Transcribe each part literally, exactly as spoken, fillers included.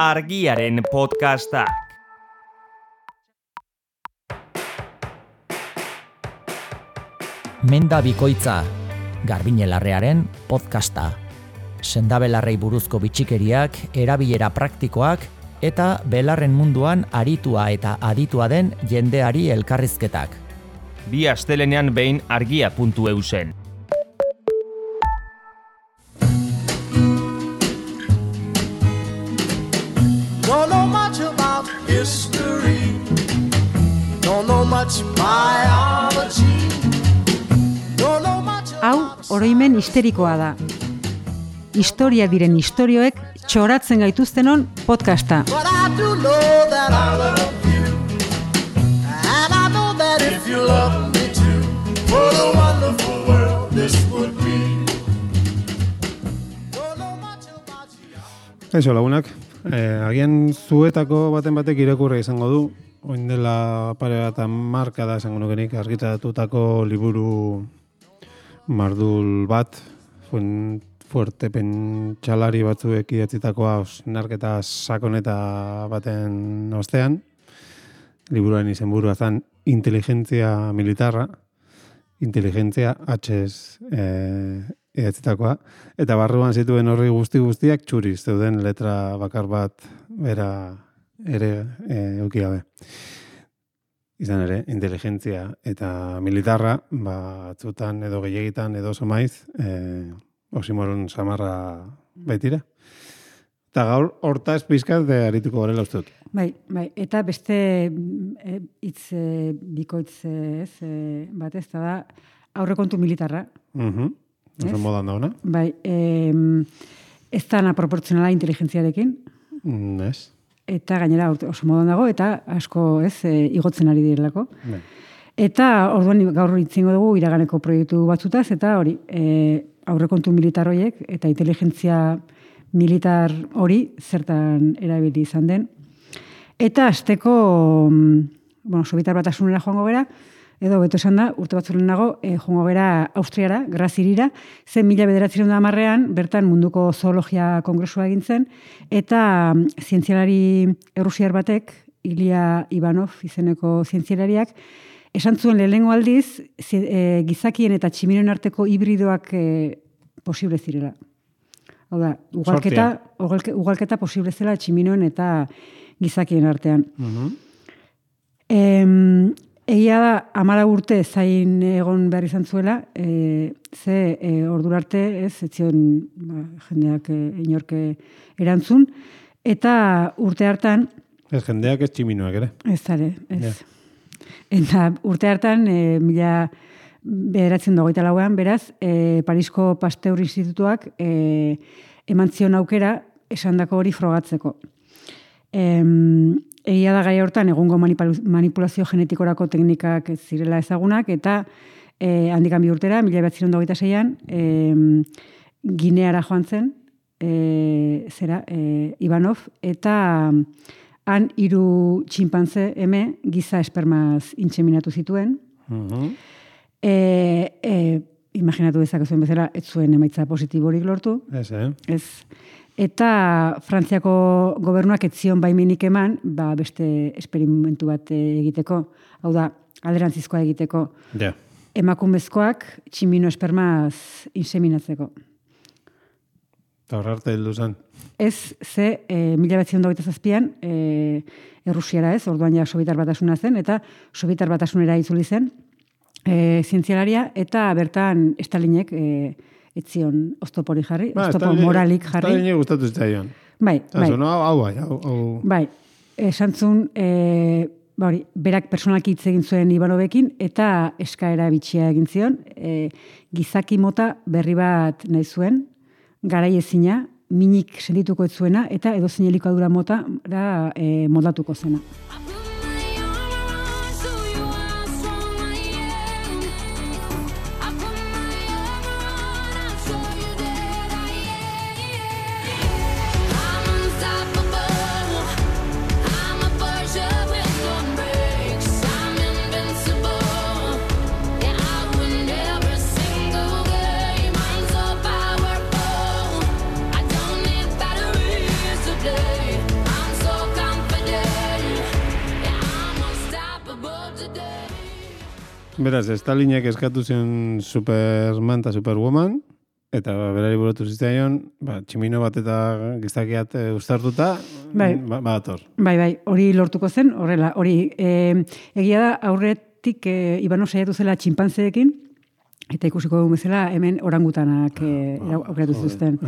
Argiaren podcastak. Menda bikoitza, Garbine Larrearen podcasta. Sendabelarrei buruzko bitxikeriak, erabilera praktikoak eta belarren munduan aritua eta aditua den jendeari elkarrizketak. Bi astelenean behin argia puntu e u zen. Don't know much about history. Don't know much biology. Don't know much. Hau oroimen histerikoa da. Historia diren istorioek txoratzen gaituztenon podcasta. But I do know that I love you. And I know that if you love me too, what a wonderful world this would be. Don't know much about you. Kaixo lagunak, eh, agian zuetako baten batek irakurri izango du, oin dela pare bat marka da esango nukenik argitaratutako liburu mardul bat, fuen fuerte pentsalari batzuek idatzitakoa osnarketa sakoneta baten ostean. Liburuaren izenburua zen Inteligentzia Militarra, Inteligentzia H-ez eh, idatzitakoa, eta barruan zituen horri guzti guztiak txuriz zeuden letra bakar bat bera ere eh, eukigabe. Izan ere, inteligentzia eta militarra, batzutan edo gehiagitan edo oso maiz, eh, oximoron samarra baitira. Eta gaur, hortaz pizkat de arituko gorela uste dut. Bai, bai, eta beste e, hitz e, bikoitz ez, e, bat ez da aurrekontu militarra. Mhm. Oso Ez? modan dauna. Bai, e, ez da proportzionala inteligentziarekin, Mm, ez? eta gainera oso modan dago, eta asko ez e, igotzen ari direlako. Bai. Eta orduan gaur hitzingo dugu iraganeko proiektu batzutaz, eta hori, e, aurrekontu militar horiek eta inteligentzia militar hori zertan erabili izan den. Eta azteko, bueno, Sobietar Batasunera joango gera, edo beto esan da, urte batzuen nago, e, joango gera Austriara, Grazirira, zen mila bederatziehun eta hamarrean, bertan munduko zoologia kongresua egin zen, eta zientzialari errusiar batek, Ilya Ivanov izeneko zientzialariak, esan zuen lehenengo aldiz, e, gizakien eta tximinoen arteko hibridoak e, posible zirela. Hau da, ugalketa, ugalke, ugalketa posible zela tximinoen eta gizakien artean. Mhm. Em, egia da, amara urte zain egon behar izan zuela, e, ze e, ordura arte ez, ez zion ba, jendeak e, inorke erantzun, eta urte hartan, Ez jendeak ez tximinoak ere. ez zare, ez. Ja. Eta urte hartan, e, mila bederatzen dagoita lauan, beraz, e, Parisko Pasteur Institutuak e, eman zion aukera esandako hori frogatzeko. E, egia da gai hortan egungo manipulazio genetikorako teknikak ez zirela ezagunak, eta e, handikan bi urtera, mila bederatzen dagoita zeian, e, Gineara joan zen, e, zera, e, Ivanov, eta han hiru txinpantze eme giza espermaz intseminatu zituen. Mhm. E, e, imaginatu dezakezuen bezala, ez zuen emaitza positiborik lortu. Ez, eh? Ez. Eta Frantziako gobernuak ez zion baimenik eman, ba, beste esperimentu bat egiteko. Hau da, alderantzizkoa egiteko. Ja. Emakumezkoak tximino espermaz inseminatzeko. Eta horra arte heldu zen. Ez, ze, e, mila batzion dagoita zazpian, e, Errusiara ez, orduan ja Sobietar Batasuna zen, eta Sobietar Batasunera itzuli zen, e, zientzialaria, eta bertan Stalinek e, etzion oztopori jarri, Ba, oztopo Stalin- moralik jarri. Stalinei gustatu zitzaion. Bai, bai, Zazu, no, hau bai, hau, hau. bai. Esan zuen, e, ba hori, berak personalki hitz egin zuen Ivanovekin, eta eskaera bitxia egin zion, e, gizaki mota berri bat nahi zuen, garai ezina, minik sendituko ez zuena, eta edozein elikadura mota da, e, moldatuko zena. I don't need batteries today. Beraz, Stalinek eskatu zion Superman eta Superwoman, eta berari buratu zitzaion, ba, tximino bat eta gizakiat e, uztartuta, bai. ba, bator. Bai, bai, hori lortuko zen, horrela, hori, e, egia da, aurretik e, Ibano saiatu zela txinpantzeekin, eta ikusiko dugu bezala hemen orangutanak e, aukeratu zituzten.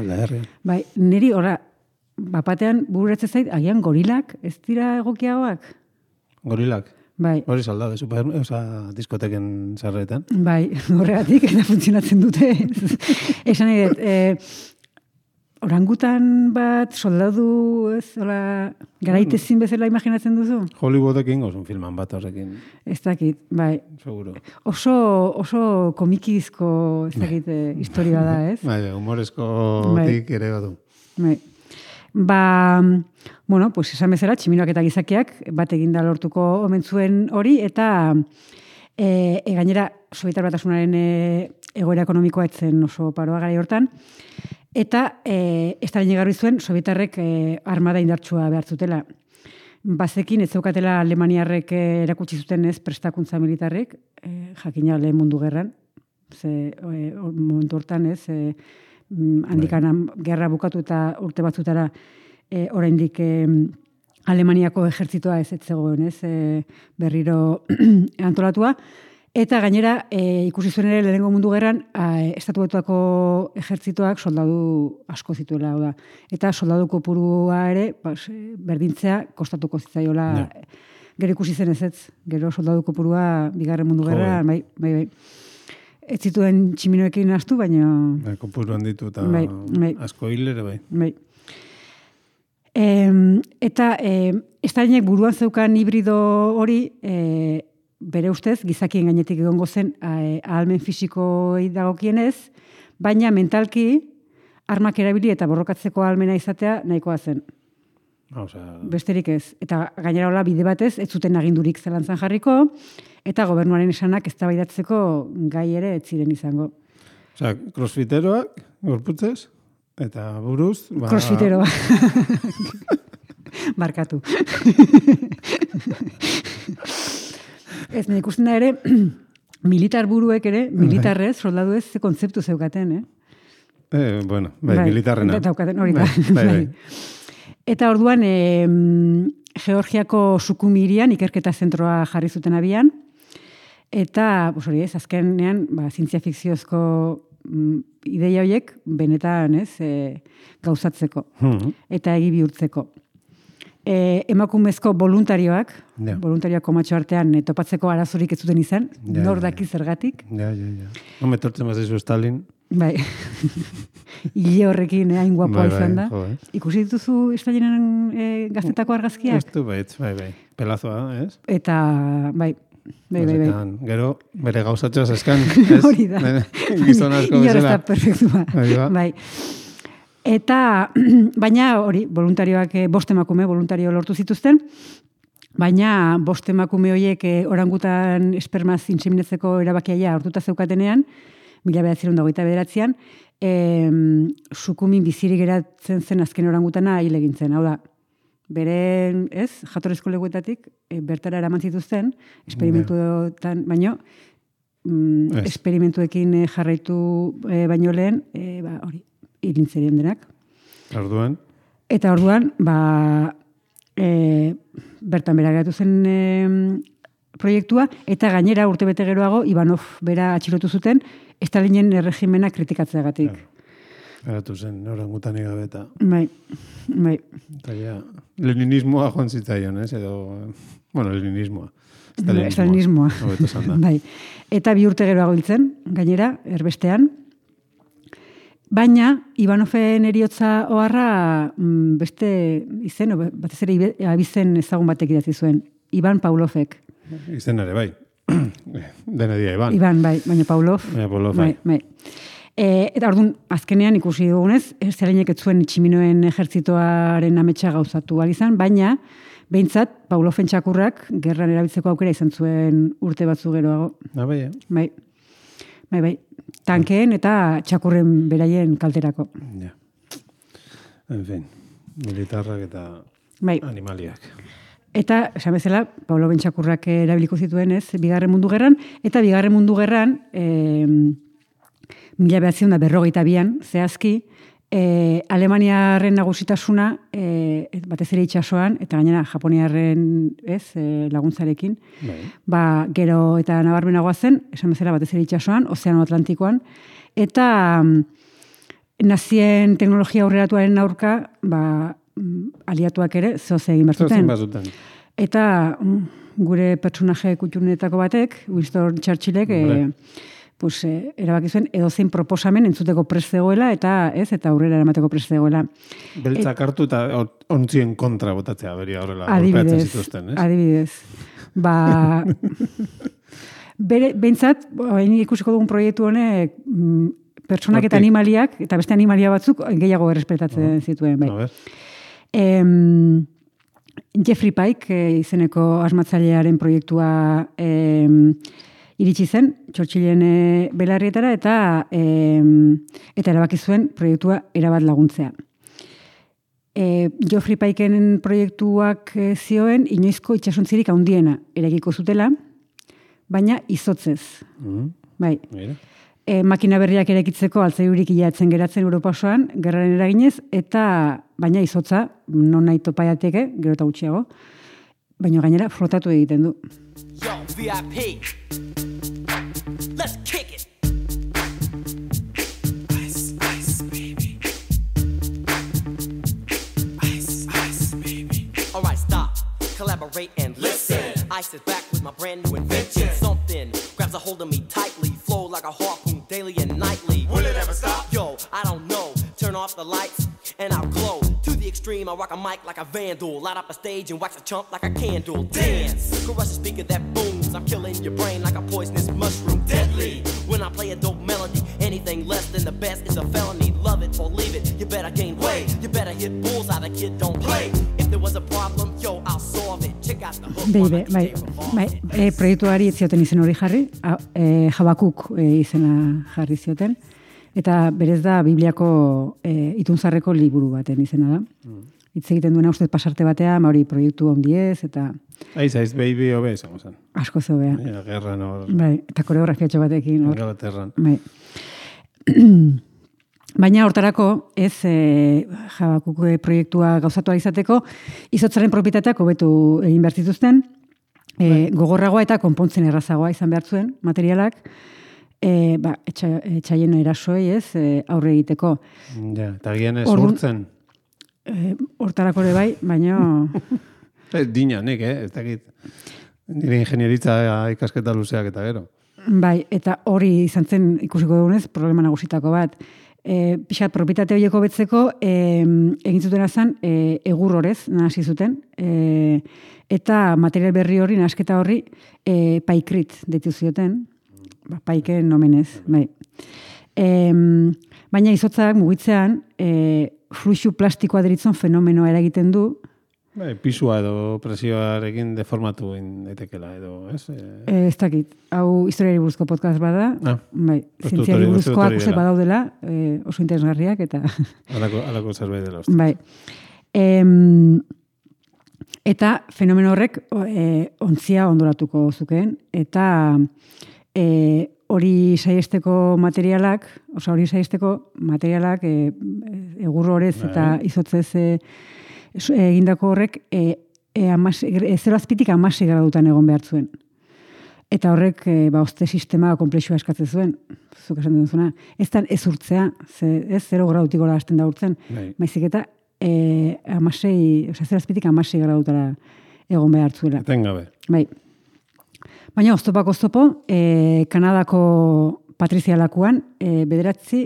Bai, niri horra, bapatean bururatze zait, agian gorilak, ez dira egokiagoak? Gorilak? Bai. Hori salda, super, oza, diskoteken sarretan. Bai, horregatik, eta funtzionatzen dute. Esan edet, e, orangutan bat, soldadu, ez, hola, garaitezin bezala imaginatzen duzu? Hollywoodekin gozun filman bat horrekin. Ez dakit, bai. Seguro. Oso, oso komikizko, ez dakit, e, historia da, ez? Bai, humorezko bai. tik ere badu. Bai. Ba, bueno, pues esan bezala, tximinoak eta gizakiak bat eginda lortuko omen zuen hori, eta e, e, gainera, Sobietar Batasunaren e, egoera ekonomikoa etzen oso paroa gara hortan, eta e, Stalin egarri zuen Sobietarrek e, armada indartsua behar zutela. Bazekin, ez zeukatela Alemaniarrek e, erakutsi zuten ez prestakuntza militarrek, e, jakina lehen mundu gerran, ze e, momentu hortan ez, e, handikan gerra bukatu eta urte batzutara e, oraindik e, Alemaniako ejertzitoa ez etzegoen, ez, e, berriro antolatua. Eta gainera, e, ikusi zuen ere lehenengo mundu gerran, e, Estatu Batuako ejertzitoak soldadu asko zituela, da. Eta soldadu kopurua ere, pues, berdintzea kostatuko zitzaiola. Ja. Gero ikusi zen ez ez, gero soldadu kopurua bigarren mundu gerra, bai, bai, bai. Ez zituen tximinoekin astu, baina... Bai, kopuru handitu eta bai, bai. asko hilere, bai. Bai. E, eta e, Stalinek buruan zeukan hibrido hori, e, bere ustez, gizakien gainetik egongo zen ahalmen fisikoi dagokienez, baina mentalki armak erabili eta borrokatzeko ahalmena izatea nahikoa zen. O sea... Besterik ez. Eta gainera hola bide batez, ez zuten agindurik zelantzan jarriko, eta gobernuaren esanak eztabaidatzeko gai ere ez ziren izango. Osea, crossfiteroak, gorputzez, eta buruz... Ba... Crossfiteroa. Barkatu. Ez, nahi ikusten da ere, militar buruek ere, militarrez, soldadu ez, ze kontzeptu zeukaten, eh? Eh, bueno, bai, bai militarrena. Daukaten, hori da. Bai, bai, bai. Eta orduan, e, Georgiako Sukumi hirian ikerketa zentroa jarri zuten abian, eta, pues hori ez, azkenean, ba, zientzia fikziozko mm, ideia horiek benetan, ez, e, gauzatzeko, mm-hmm. eta egi bihurtzeko. E, emakumezko voluntarioak, ja. voluntarioak komatxo artean e, topatzeko arazorik ez zuten izan, ja, nor daki zergatik. Ja, ja, ja. Home, tortzen mazizu Stalin. Bai, hile horrekin hain guapoa bai, izan da. Bai, jo, ikusi dituzu Stalinen e, gaztetako argazkiak? Ez du, bai, bai, bai. Pelazoa, ez? Eta, bai, bai, bai, bai. Gero, bere gauzatxoa zeskan, ez? Hori da. Gizon asko bezala. Ior ez da perfektua. Bai. Eta, baina hori, voluntarioak, bost emakume, voluntario lortu zituzten, baina bost emakume horiek orangutan espermaz inseminatzeko erabakiaia hartuta zeukatenean, mila bederatzerun dagoita bederatzean, e, Sukumin bizirik geratzen zen azken orangutana hil egin zen. Hau da, bere, ez, jatorrezko leguetatik, e, bertara eraman zituzten, esperimentuetan, baino, mm, esperimentuekin jarraitu e, baino lehen, e, ba, hori, irintzerien denak. Orduan? Eta orduan, ba, e, bertan bera geratu zen e, proiektua, eta gainera urtebete geroago, Ivanov bera atxilotu zuten, Stalinen erregimena kritikatzeagatik. Geratu zen, orangutan igabeta. Bai, bai. Eta ja, leninismoa joan zitzaion, ez? Edo, bueno, leninismoa. Stalinismoa. Bai. Eta bi urte geroago hiltzen, gainera, erbestean. Baina, Ivanoven eriotza oharra beste izen, batez ere abizen ezagun batek idatzi zuen. Ivan Pavlovek. Izen ere, bai. Dena dia, Ivan. Ivan, bai, baina Pavlov. Baina Pavlov, bai. bai. E, eta orduan, azkenean ikusi dugunez, Stalinek ez zuen tximinoen ejertzitoaren ametsa gauzatu izan, baina, behintzat, Pavloven txakurrak gerran erabiltzeko aukera izan zuen urte batzu geroago. Ah, bai, eh? Bai, bai, bai. Tankeen eta txakurren beraien kalterako. Ja. En fin, militarrak eta bai. animaliak. Eta, esan bezala, Paulo Bentsakurrak erabiliko zituen, ez, bigarren mundu gerran, eta bigarren mundu gerran, e, mila behatziehun eta berrogeita bian, zehazki, e, Alemaniarren nagusitasuna, e, batez ere itsasoan, eta gainera Japoniarren, ez, e, laguntzarekin, Bai. ba, gero eta nabarmenagoa zen, esan bezala batez ere itsasoan, Ozeano Atlantikoan, eta nazien teknologia aurreratuaren aurka, ba, aliatuak ere zoze egin Zozen behar bazuten. Eta gure pertsonaje kutxunetako batek, Winston Churchillek, e, pues, e, erabaki zuen edozein proposamen entzuteko prest zegoela, eta ez, eta aurrera eramateko prest zegoela. Beltzak hartu eta ontzien kontra botatzea, beri horrela. Adibidez, golpeatzen zituzten, ez? adibidez. Ba, bere, behintzat, hain ikusiko dugun proiektu honek, mm, pertsonak eta Hortik. animaliak, eta beste animalia batzuk gehiago errespetatzen zituen. Bai. A ver. Em, Jeffrey Pike e, izeneko asmatzailearen proiektua em, iritsi zen, Churchillen e, belarrietara, eta em, eta erabaki zuen proiektua erabat laguntzea. E, Geoffrey Pikeen proiektuak e, zioen inoizko itsasontzirik handiena eraikiko zutela, baina izotzez. Mhm. Bai. Mira. E, makina berriak eraikitzeko altzairurik ilatzen geratzen Europa osoan, gerraren eraginez, eta baina izotza, non nahi topa jateke, gero eta gutxiago, baina gainera flotatu egiten du. Yo, V I P. Let's kick it. Ice, ice, baby. Ice, ice, baby. All right, stop. Collaborate and listen. Ice is back with my brand new invention. Something grabs a hold of me tightly, flow like a harpoon daily and nightly. Will it ever stop? Yo, I don't know. Turn off the lights and I'll glow. To the extreme, I rock a mic like a vandal. Light up a stage and wax a chump like a candle. Dance, crush a speaker that booms. I'm killing your brain like a poisonous mushroom. Deadly, when I play a dope melody. Anything less than the best is a felony. Love it or leave it, you better gain weight. You better hit bullseye, the kid don't play. If there was a problem, yo, I'll solve it. Check out the hook. Beibe, bai, bai, e, proiektuari ez zioten izen hori jarri, a, e, Jabakuk e, izena jarri zioten, eta berez da Bibliako e, itunzarreko liburu baten izena da. Hitz egiten duena ustez pasarte batea, ma hori proiektu handiez, eta Aiz, aiz, baby, hobe, izango zen. asko zobea. Ja, gerran hor, Bai, eta koreografiatxo batekin. Hor. Ingalaterran. Bai. Baina hortarako, ez e, Jabakuk proiektua gauzatu izateko, izotzaren propietateak hobetu egin behar zituzten, e, gogorragoa eta konpontzen errazagoa izan behar zuen materialak, e, ba, etxa, etxaien erasoei, ez, e, aurre egiteko. Ja, eta gian ez Orduan- urtzen. E, hortarako ere bai, baina Ez dina, nik, eh? Ez dakit. Nire ingenieritza ikasketa luzeak eta gero. bai, eta hori izan zen ikusiko dugunez, problema nagusitako bat. E, pixat, propietate horieko betzeko, e, egin zuten azan, e, egur horrez, nahasi zuten, e, eta material berri hori, nahasketa horri, e, paikrit ditu zioten, ba, paiken nomenez, bai. E, baina izotzak mugitzean, e, fluxu plastikoa deritzen fenomenoa eragiten du, Bai, pisua edo presioarekin deformatu egin daitekela edo, ez? E, e, ez dakit, hau historiari buruzko podcast bada, Ah, bai, uste dut zientziari hori- uste dut buruzkoak hori uste dela. badaudela, e, oso interesgarriak, eta... alako, alako zerbait dela uste. Bai. Em, eta fenomeno horrek e, ontzia ondoratuko zukeen, eta e, hori saiesteko materialak, oza, hori saiesteko materialak e, egur horrez Bai. eta izotzez e, su- egindako horrek e, e, amas, e, zero azpitik amasi gradutan egon behar zuen. Eta horrek e, ba, oste sistema komplexua eskatzen zuen, zuk esan duzuna. Ez dan ez urtzea, ze, ez zero gradutik gora hasten da urtzen, Bai. maizik eta e, amasei, oza, zero azpitik amasei gradutara egon behar zuela. Etengabe. Bai. Baina oztopak oztopo, e, Kanadako patrizialakuan e, bederatzi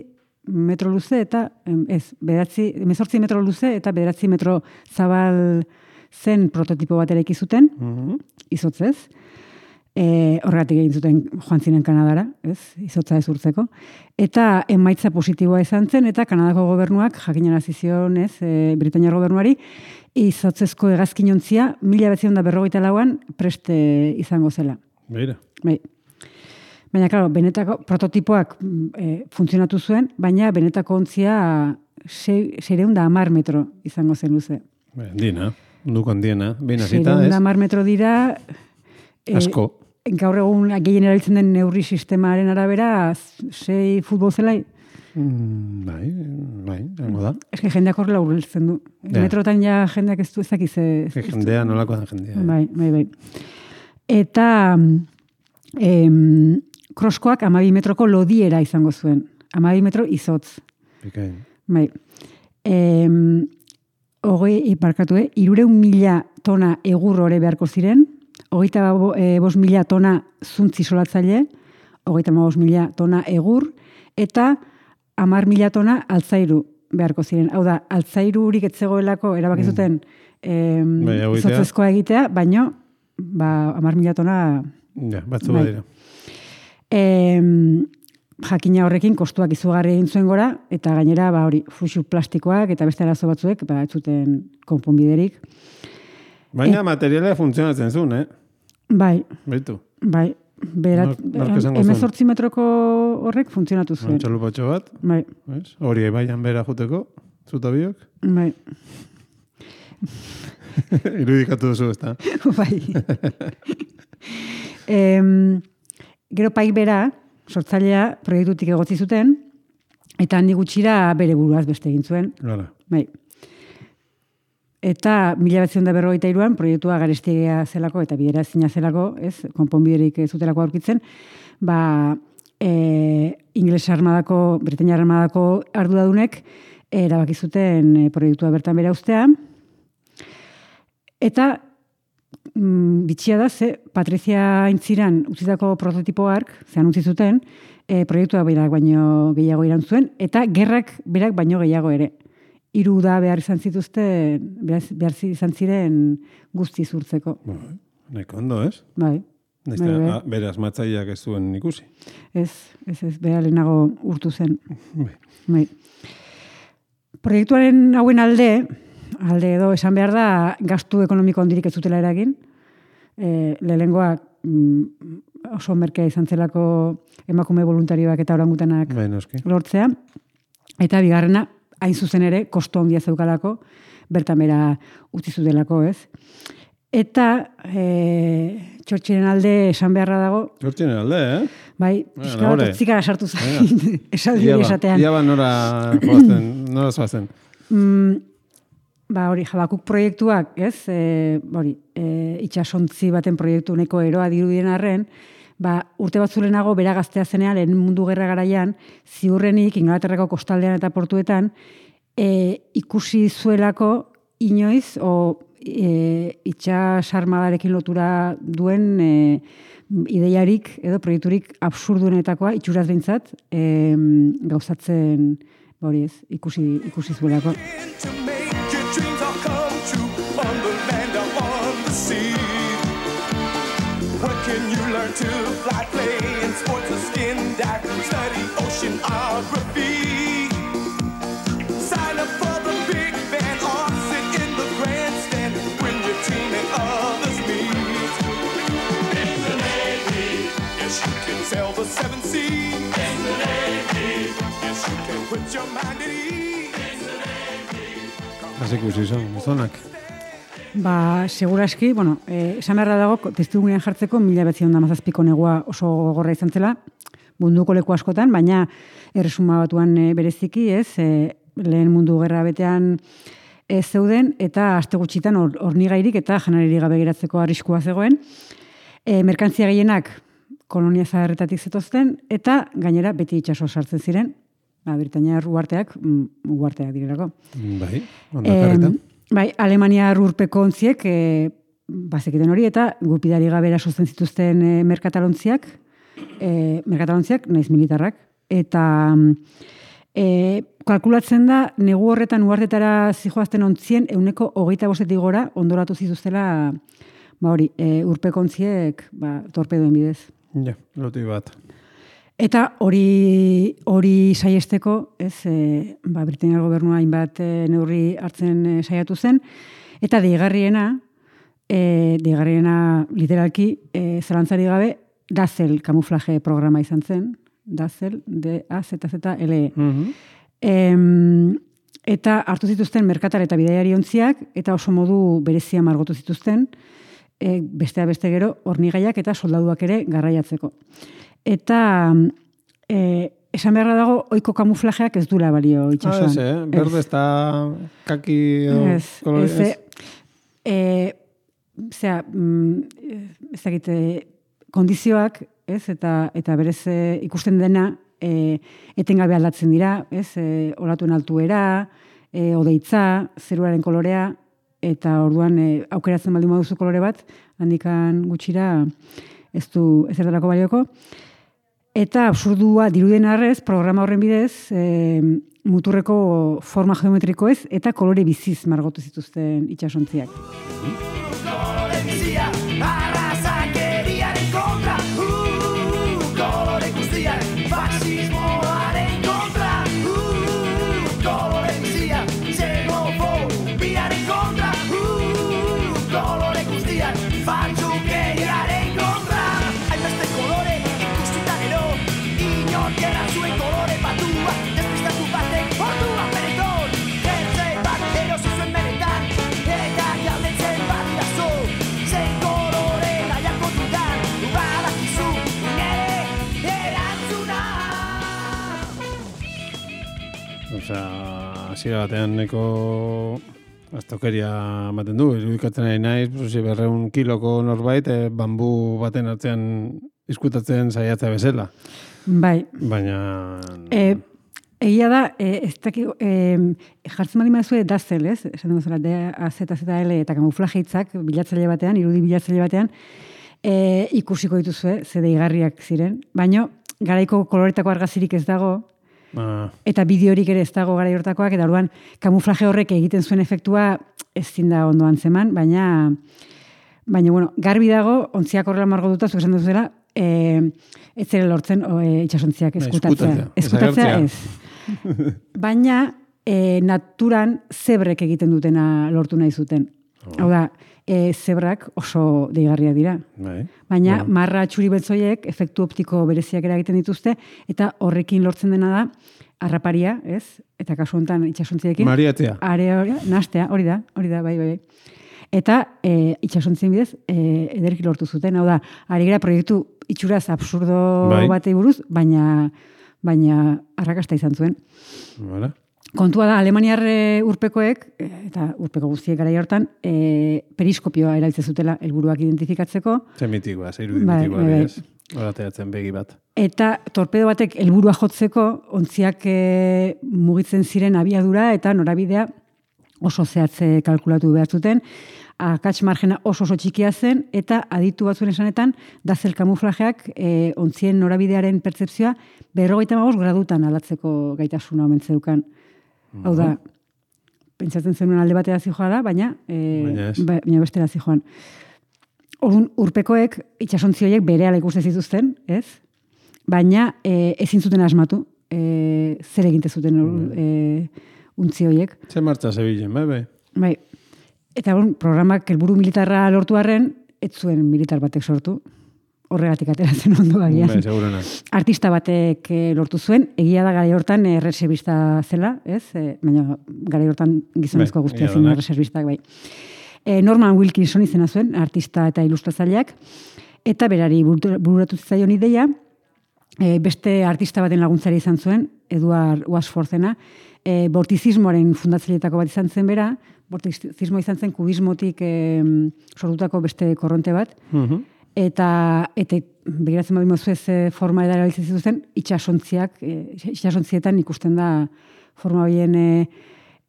metro luze eta, em, ez, bederatzi, emezortzi metro luze eta bederatzi metro zabal zen prototipo bat eraiki zuten, Mhm. izotzez. E, horregatik egin zuten joan ziren Kanadara, ez, izotza ez urtzeko. Eta emaitza positiboa izan zen, eta Kanadako gobernuak jakinarazi zion, ez, e, Britainiar gobernuari, izotzezko hegazkinontzia mila bederatziehun eta berrogeita lauan preste izango zela. Beira. Bai. Baina, klaro, benetako prototipoak e, funtzionatu zuen, baina benetako ontzia seiehun eta hamar metro izango zen luze. Bai, dina. Munduko handiena, behin hasita, Seiehun ez? eta hamar metro dira... eh, Asko. Gaur egun gehien erabiltzen den neurri sistemaren arabera, sei futbol zelai. Mm, bai, bai, hango da. Ez que jendeak horrela urbiltzen du. Ja. Metrotan ja jendeak ez du ezakiz. Que jendea nolako da jendea. Bai, bai, bai. Eta em, kroskoak amabi metroko lodiera izango zuen. Amabi metro izotz. Bikain. Bai. Em, hogei, barkatu, eh? Irureun mila tona egur ore beharko ziren, hogeita e, bost mila tona zuntzi solatzaile, hogeita bost mila tona egur, eta hamar mila tona altzairu beharko ziren. Hau da, altzairurik etzegoelako erabaki zuten em, Bai, hau egitea. izotzezkoa egitea, baino ba, hamar mila tona... Ja, batzu Bai. badira. Em, jakina horrekin kostuak izugarri egin zuen gora, eta gainera ba, hori fuxu plastikoak eta beste arazo batzuek ba, ez zuten konponbiderik. Baina materiala funtzionatzen zuen, eh? Bai, Baitu. bai, berat, Nork- nork esango zuen? hemezortzi metroko horrek funtzionatu zuen. Txalupatxo bat, Bai, ez? Hori ebaian bera juteko, zutabiok. bai, Irudikatu duzu, ez da? bai. em, gero paik bera, sortzailea proiektutik egotzi zuten, eta handi gutxira bere buruaz beste egin zuen. Gara. Bai. Eta mila bederatziehun eta berrogeita hiruan proiektua garestia zelako eta bidera ezina zelako, ez, konponbiderik ez zutelako aurkitzen, ba, e, Ingles armadako, Britainia armadako arduradunek erabaki zuten e, proiektua bertan bera ustea. Eta mm, bitxia da, ze Patrizia Aintziran utzitako prototipoak, zean utzi zuten, e, proiektua berak baino gehiago iran zuen, eta gerrak berak baino gehiago ere. Hiru da behar izan zituzten, behar, behar izan ziren guzti zurtzeko. Bai, nahiko ondo, ez? Bai. Naiz Bai, bai. eta bere asmatzaileak ez zuen ikusi. Ez, ez, ez, bera lehenago urtu zen. Bai. Bai. Proiektuaren hauen alde, alde edo esan behar da, gastu ekonomiko handirik ez zutela eragin. E, lehengoak mm, oso merkea izan zelako emakume voluntarioak eta orangutanak Bai, noski. lortzea. Eta bigarrena, hain zuzen ere, kosto handia zeukalako, bertan bera utzi zutelako, ez? Eta e, txortxiren alde esan beharra dago, Txortxinen alde, eh? bai, Bueno, pixka bat nahore. otzikara sartu zain, esaldi hori esatean. Ia ba nora joazten, nora zoazen. Mm, ba, hori, Jabakuk proiektuak, ez? E, hori, e, itxasontzi baten proiektu neko eroa dirudien arren, ba, urte batzulenago bera gaztea zenean, lehen mundu gerra garaian, ziurrenik Inglaterrako kostaldean eta portuetan, e, ikusi zuelako inoiz, o e, itxas armadarekin lotura duen e, ideiarik edo proiekturik absurduenetakoa, itxuraz behintzat, e, gauzatzen, hori ez, ikusi, ikusi zuelako. To make your dreams all come true on the land or on the sea. What can you learn to fly, play in sports or skin dive, study oceanography? Sign up for the big band or sit in the grandstand when your team and others meet. In the Navy, yes you can sail the seven seas. In the Navy, yes you can put your mind at ease. Hasi ikusi zon, zonak. Ba, seguraski, bueno, eh, esan beharra dago, testugunean jartzeko mila bederatziehun eta hamazazpiko negua oso gogorra izan zela, munduko leku askotan, baina erresuma batuan e, bereziki, ez, e, lehen mundu gerra betean ez zeuden, eta aste gutxitan or, hornigairik eta janaririk gabe geratzeko arriskua zegoen. E, merkantzia gehienak kolonia zaharretatik zetozten, eta gainera beti itsaso sartzen ziren, ba, Britainiar uharteak, mm, uharteak direlako. Bai, ondakarrita. Em, bai, Alemania urpeko ontziek e, bazekiten hori, eta gupidari gabe erasotzen zituzten e, merkatalontziak, e, merkatalontziak, naiz militarrak, eta e, kalkulatzen da, negu horretan uhartetara zijoazten ontzien, euneko hogeita bostetik gora ondoratu zituztela, ba hori, e, urpeko ontziek ba, torpedoen bidez. Ja, loti bat. Eta hori hori saiesteko, ez, e, ba, Britainiar gobernua hainbat e, neurri hartzen e, saiatu zen, eta deigarriena, e, deigarriena literalki, e, zalantzari gabe, Dazzle kamuflaje programa izan zen, Dazzle, D A Z Z L E. Mhm. Em, eta hartu zituzten merkatar eta bidaiari ontziak, eta oso modu berezia margotu zituzten, e, bestea beste gero, hornigaiak eta soldaduak ere garraiatzeko. Eta e, esan beharra dago, ohiko kamuflajeak ez dula balio itxasuan. Ah, ez, eh? Berde ez da kaki edo Ez, kolore, ez, ez? e, zera, mm, ez dakite, kondizioak, ez, eta, eta berez e, ikusten dena, e, etengabe aldatzen dira, ez, e, olatuen altuera, e, odeitza, zeruaren kolorea, eta orduan e, aukeratzen baldin baduzu kolore bat, handikan gutxira ez du ezertarako balioko. Eta absurdua diruden arrez, programa horren bidez, e, muturreko forma geometrikoez eta kolore biziz margotu zituzten itsasontziak. Kolore bizia, arrazakeriaren kontra, uh, kolore guztiak, fasismoaren kontra, uh, kolore bizia, xenofobiaren kontra, uh, kolore guztiak, faltsukeriaren kontra. Hainbeste kolore ikusita gero, inork eran zuen kolore batua, despistatu batek ordua pereton, jertze bat erosi zuen benetan, eta galdetzen badirazo, zein kolore nahiako dudan, badakizu nere erantzuna. Osea, hasiera batean neko astokeria ematen du, irudikatzen ari naiz, pues, berreun kiloko norbait, eh, bambu baten atzean izkutatzen saiatza bezala. Bai, Baina... e, egia da, e, ez daki, e, jartzen bali mazue dazel, ez? Esan dugu zela, D, A, Z, Z, L eta kamuflaje hitzak bilatzaile batean, irudi bilatzaile batean, e, ikusiko dituzue, ze deigarriak ziren. Baina, garaiko koloretako argazirik ez dago, ah, eta bideorik ere ez dago garai hortakoak, eta orduan kamuflaje horrek egiten zuen efektua ezin da ondo antzeman, baina, baina bueno, garbi dago, ontziak horrela margotuta, zuk esan duzela, e, ez zere lortzen o, e, itsasontziak eskutatzea. eskutatzea, Eskutatzea desagertzea. ez. Baina, e, naturan zebrek egiten dutena lortu nahi zuten. Hau da, e, zebrak oso deigarriak dira. bai. Baina Bueno. marra txuri beltzoiek efektu optiko bereziak ere egiten dituzte, eta horrekin lortzen dena da, harraparia, ez? Eta kasu honetan itsasontziarekin. Mariatzea. Are hori, nastea, hori da, hori da, bai, bai, bai. Eta e, itsasontzien bidez, e, ederki lortu zuten. Hau da, ari gara proiektu itxuraz absurdo Bai. batei buruz, baina baina arrakasta izan zuen. Voilà. Kontua da, Alemaniar e, urpekoek, e, eta urpeko guztiek garai hortan, e, periskopioa erabiltzen zutela helburuak identifikatzeko, Ze mitikoa, ze irudi Bai, mitikoa, bai, bai. ez? Horateatzen begi bat. eta torpedo batek helburua jotzeko, ontziak e, mugitzen ziren abiadura eta norabidea oso zehatze kalkulatu behar zuten, akats margena oso oso txikia zen, eta aditu batzuen esanetan, dazel kamuflajeak e, ontzien norabidearen pertzepzioa berrogeita hamabost gradutan aldatzeko gaitasuna omen zeukan. Hau da, pentsatzen zenuen alde batera zijoala, baina, e, Baina ez. ba- baina bestera zijoan. Orduan, urpekoek itsasontzi horiek berehala ikusten zituzten, ez? Baina e, ezin zuten asmatu, e, zer eginte zuten e, untzi horiek. Ze martza zebilen, bai, bai. Bai. Eta bon, programak helburu militarra lortu arren, ez zuen militar batek sortu. Horregatik ateratzen ondo agian. Bai, segurena. Artista batek eh, lortu zuen, egia da garai hortan eh, erreserbista zela, ez? E, baina garai hortan gizonezko Bai, guztia egia zen denak. erreserbistak, bai. E, Norman Wilkinson izena zuen, artista eta ilustratzaileak, eta berari burtu- bururatu zitzaion ideia, e, beste artista baten laguntzari izan zuen, Eduard Wasforthena, e, bortizismoaren fundatzaileetako bat izan zen bera, bortizismo izan zen kubismotik e, sortutako beste korronte bat, Mhm. eta eta begiratzen badimo zuez e, forma edara erabiltzen zituzten, itsasontziak, e, itsasontzietan ikusten da forma horien e,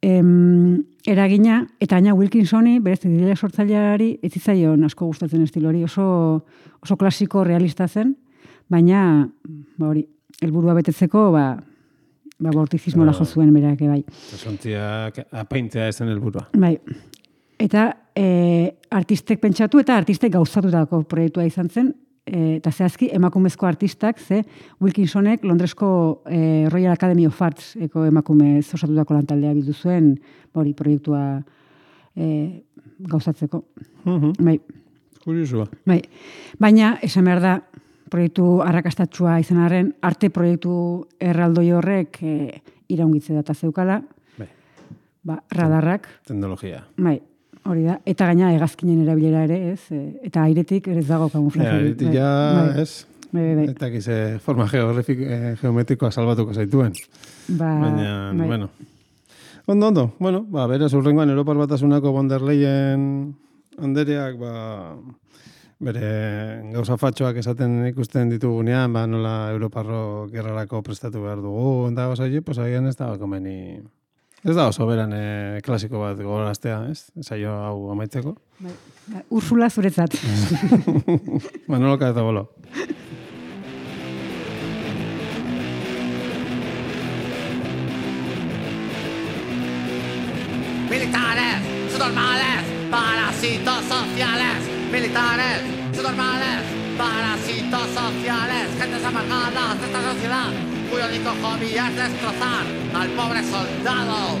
em, eragina, eta gaina Wilkinsoni, berez idile sortzaileari, ez zitzaion asko gustatzen estilo hori, oso, oso klasiko realista zen, baina, ba hori, helburua betetzeko, ba, ba bortizismola jo zuen berak, bai. Sontziak apaintzea ezen helburua. Bai. Eta e, artistek pentsatu eta artistek gauzatutako proiektua izan zen, e, eta zehazki emakumezko artistak, ze Wilkinsonek Londresko e, Royal Academy of Arts eko emakume osatutako lantaldea bildu zuen, ba hori proiektua e, gauzatzeko. Mhm. Bai. Kuriosua. Bai. Baina, esan behar da, proiektu arrakastatsua izan arren, arte proiektu erraldoi horrek e, iraungitze data zeukala, Bai. ba, radarrak, Teknologia. bai, hori da, eta gaina hegazkinen erabilera ere, ez, e, eta airetik ere ez dago kamuflaje. Ja, airetik ja, bai, ez? Bai, bai, bai. Eta gize forma geografik, eh, geometrikoa salbatuko zaituen. Ba, Baina, bai. bueno. Ondo, ondo. Bueno, ba, beraz, urrengoan Europar Batasunako von der Leyen andereak, ba, bere gauza fatxoak esaten ikusten ditugunean, ba, nola Europarro gerrarako prestatu behar dugu, eta gauza hori, pues, agian ez da komeni... Ez da oso beran eh, klasiko bat gogoraztea, ez? Saio hau amaitzeko. Bai. Ba, Ursula zuretzat. Manolo Cazabolo. Militares, subnormales, parásitos sociales. Militares, subnormales, parásitos sociales. Gentes amargadas de esta sociedad, cuyo único hobby es destrozar al pobre soldado.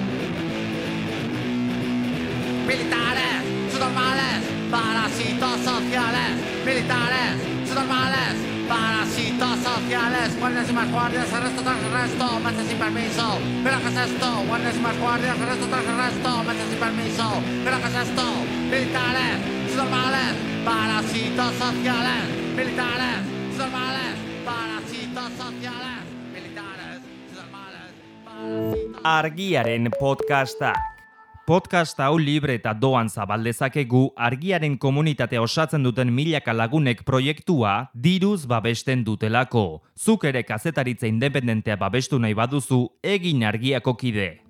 Militares, subnormales, parásitos sociales. Militares, subnormales, parásitos sociales. Guardias y más guardias, arresto tras arresto, meses sin permiso. ¿Pero qué es esto? Guardias y más guardias, arresto tras arresto, meses sin permiso. ¿Pero qué es esto? Militares, subnormales, parásitos sociales. Militares, subnormales, parásitos sociales. Militares, subnormales, parásitos... Argiaren podcasta. Podcast hau libre eta doan zabaldezakegu Argiaren komunitatea osatzen duten milaka lagunek proiektua diruz babesten dutelako. Zuk ere kazetaritza independentea babestu nahi baduzu, egin Argiako kide.